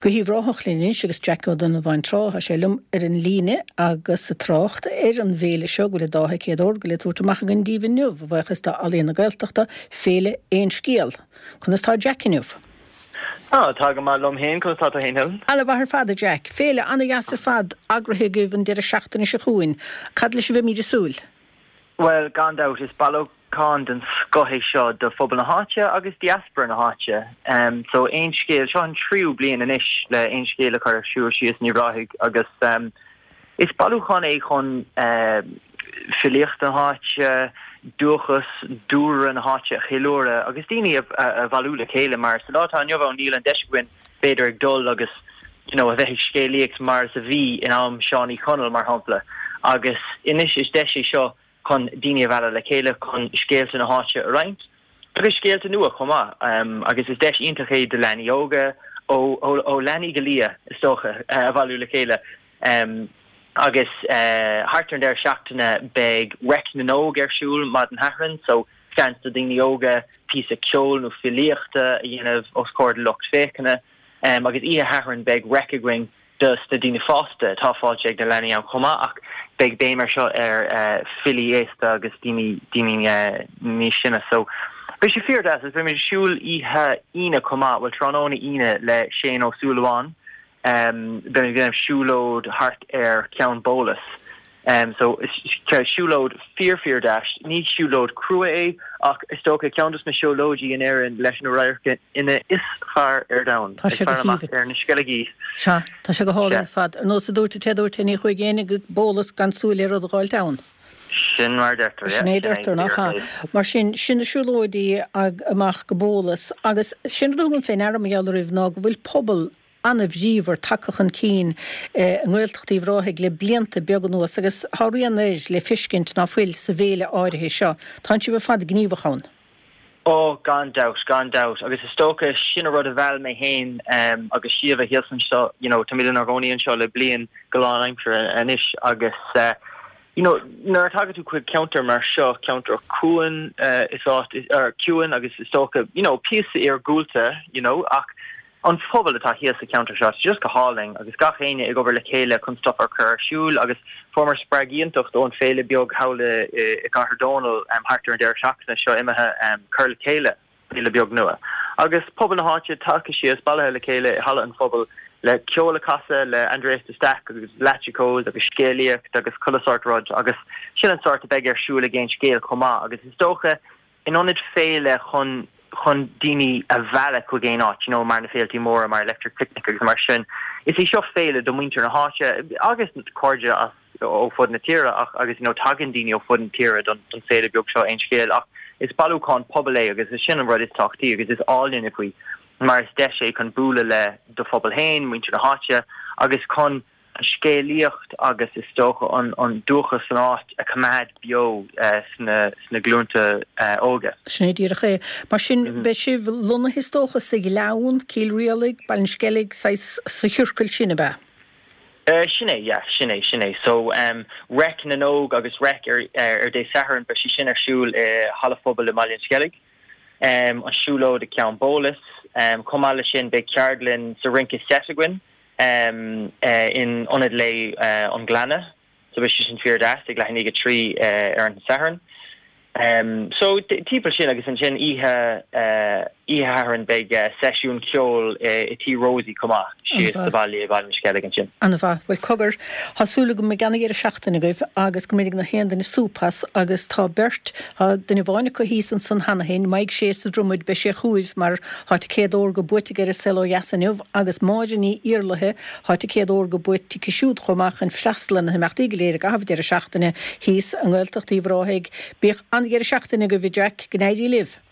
Go hUíbh Ráthach linn anois agus Jack Ó Donnabháin Trá, tá sé liom ar an líne agus ag trácht ar an bhféile seo go bhfuil an dá thicéad órga le tabhairt amach againn daoibh inniu, a bhuíochas do Ealaíon na Gaeltachta, Féile Aon Scéal. Conas tá Jack inniu? Á, tá go maith liom féin, conas tá tú féin Helen? Ana mhaith ar fad, a Jack. Féile ana dheas ar fad eagraithe agaibh an deireadh seachtaine seo chugainn. Cad leis a bheimíd ag súil? Bhuel, gan dabht, is bailiúchán den scoth é seo do phobal na háite agus diaspora na háite. So, Aon Scéal, seo an tríú bliain anois le Aon Scéal a chur ar siúl síos in Uíbh Ráthaigh agus is bailiúchán é chun filíocht na háite, dúchas, dúlra na háite a cheiliúradh agus daoine a bhailiú le chéile mar sa lá atá inniu ann níl an deis againn b'fhéidir ag dul agus you know, a bheith ag scéalaíocht mar is a bhí in am Seán Uí Chonaill, mar shampla. Agus anois is deis é seo chun daoine a mhealladh le chéile chun scéalta na háite a roinnt, agus scéalta nua chomh maith. Agus is deis iontach é do leanaí óga, ó, ó, ó leanaí go liath, is dócha, a bhailiú le chéile. Agus thart ar an deireadh seachtaine beidh Reic na nÓg ar siúl maidin Shathairn, so seans do dhaoine óga píosa ceoil nó filíochta a dhéanamh os comhair lucht féachana. Agus oíche Shathairn beidh reic againn dos na daoine fásta. Tá fáilte ag na leanaí ann chomh maith ach beidh béim ar seo ar filí aosta agus daoine daoine níos sine. So beidh sé fíor deas agus beimid ag siúl oíche Aoine chomh maith, bhuel tráthnóna Aoine le Shane Ó Súilleabháin. Beimid ag déanamh siúlóid thart ar Cheann Bólas. So siúlóid fíor fíor deas. Ní siúlóid crua é ach is dócha ceann dos na siúlóidí in Éirinn leis na radharcanna is fearr ar domhan. Tá sé go haoibhinn. Ar na Sceilgí. Sea, tá sé go hálainn ar fad. Ar nós a dúirt an té a dúirt é, ní chuaigh éinne go Bólas gan súil ar rud a dh'fháilt ann. Sin mar a deirtear, yeah. Sin é a deirtear, nach ea? Mar sin, sin na siúlóidí amach go Bólas agus sin rud a thugaim fé ndeara mar gheall oraibh ná go bhfuil pobal an-bhríomhar tagtha chun cinn i nGaeltacht Uíbh Ráthaigh le blianta beaga anuas agus tá rian air le feiscint ná fuil sa bhféile áirithe seo. Tánn sibh ar fad gníomhach ann. Ó, gan dabht, gan dabht. Agus is dócha, sin an rud a mheall mé féin agus Síomha thíos anseo, you know, táimid inár gcónaí anseo le bliain go lánaimseartha anois agus you know, nuair a tagann tú chuig ceantar mar seo, ceantar cuain, is áit, or ciúin agus is dócha, you know, píosa iargúlta, you know, ach an pobal atá thíos sa cheantar seo, tá just go hálainn agus gach éinne ag obair le chéile chun stuff a chur ar siúl agus fuaireamar spreagadh iontach ón féile beag thall i gCathair Dónall thart ar an deireadh seachtaine seo imithe cur le chéile féile beag nua agus pobal na háite tagtha síos bailithe le chéile i Halla an Phobail le ceol a chasadh le Aindrias de Staic agus Leaitseacós agus scéalaíocht agus chuile sórt rud agus sin an sórt a bheidh ar siúl ag Aon Scéal chomh maith agus is dócha in ionad féile chun chun daoine a mhealladh chuig aon áit, you know, mar na féiltí móra mar Electric Picnic agus mar sin. Is í seo féile do mhuintir na háite agus cairde as ó fud na tíre ach agus you know tagann daoine ó fud na tíre don don féile beag seo Aon Scéal ach is bailiúchán pobail é agus is sin an rud is tábhachtaí agus is áille faoi mar is deis é chun bualadh le do phobal féin, muintir na háite agus chun an scéalaíocht agus is dócha an dúchas san áit a choimeád beo sna glúnta óga. Sin é díreach é. Mar sin, beidh sibh lonnaithe is dócha sa Ghleann, Cill Rialaig, Baile an Sceilg, saghas sa chiorcal sin, ab ea? Sin é, yeah, sin é, sin é. So, Reic na nÓg agus Reic ar Dé Sathairn, beidh sé sin ar siúl i Halla Phobail i mBaile an Sceilg. An siúlóid i gCeann Bólas. Chomh maith leis sin, beidh ceardlann sa rince seit againn. in Ionad Lae an Ghleanna so beidh sé sin fíor deas ag leath i ndiaidh 3 ar an Satharn. So timpeall sin agus ansin oíche oíche Shathairn beidh seisiún ceoil i Tí Rosie chomh maith síos sa bhaile i Baile an Sceilg ansin. Ana-mhaith. Bhuel cogar, tá súil agam go mbeidh ana-dheireadh seachtaine agaibh agus go mbainfidh nach aon duine súp as agus tá beirt, tá duine amháin acu thíos ansan cheana féin, Maidhc Sé sa Dromaid, beidh sé chugaibh mar tá ticéad órga buaite aige ar An Saol Ó Dheas inniu agus Máire Ní Iarlaithe, tá ticéad órga buaite aici siúd chomh maith chun freastal ar na himeachtaí go léir i gcaitheamh an deireadh seachtaine thíos i nGaeltacht Uíbh Ráthaigh. Bíodh an-dheireadh seachtaine agaibh, a Jack, go n-éirí libh!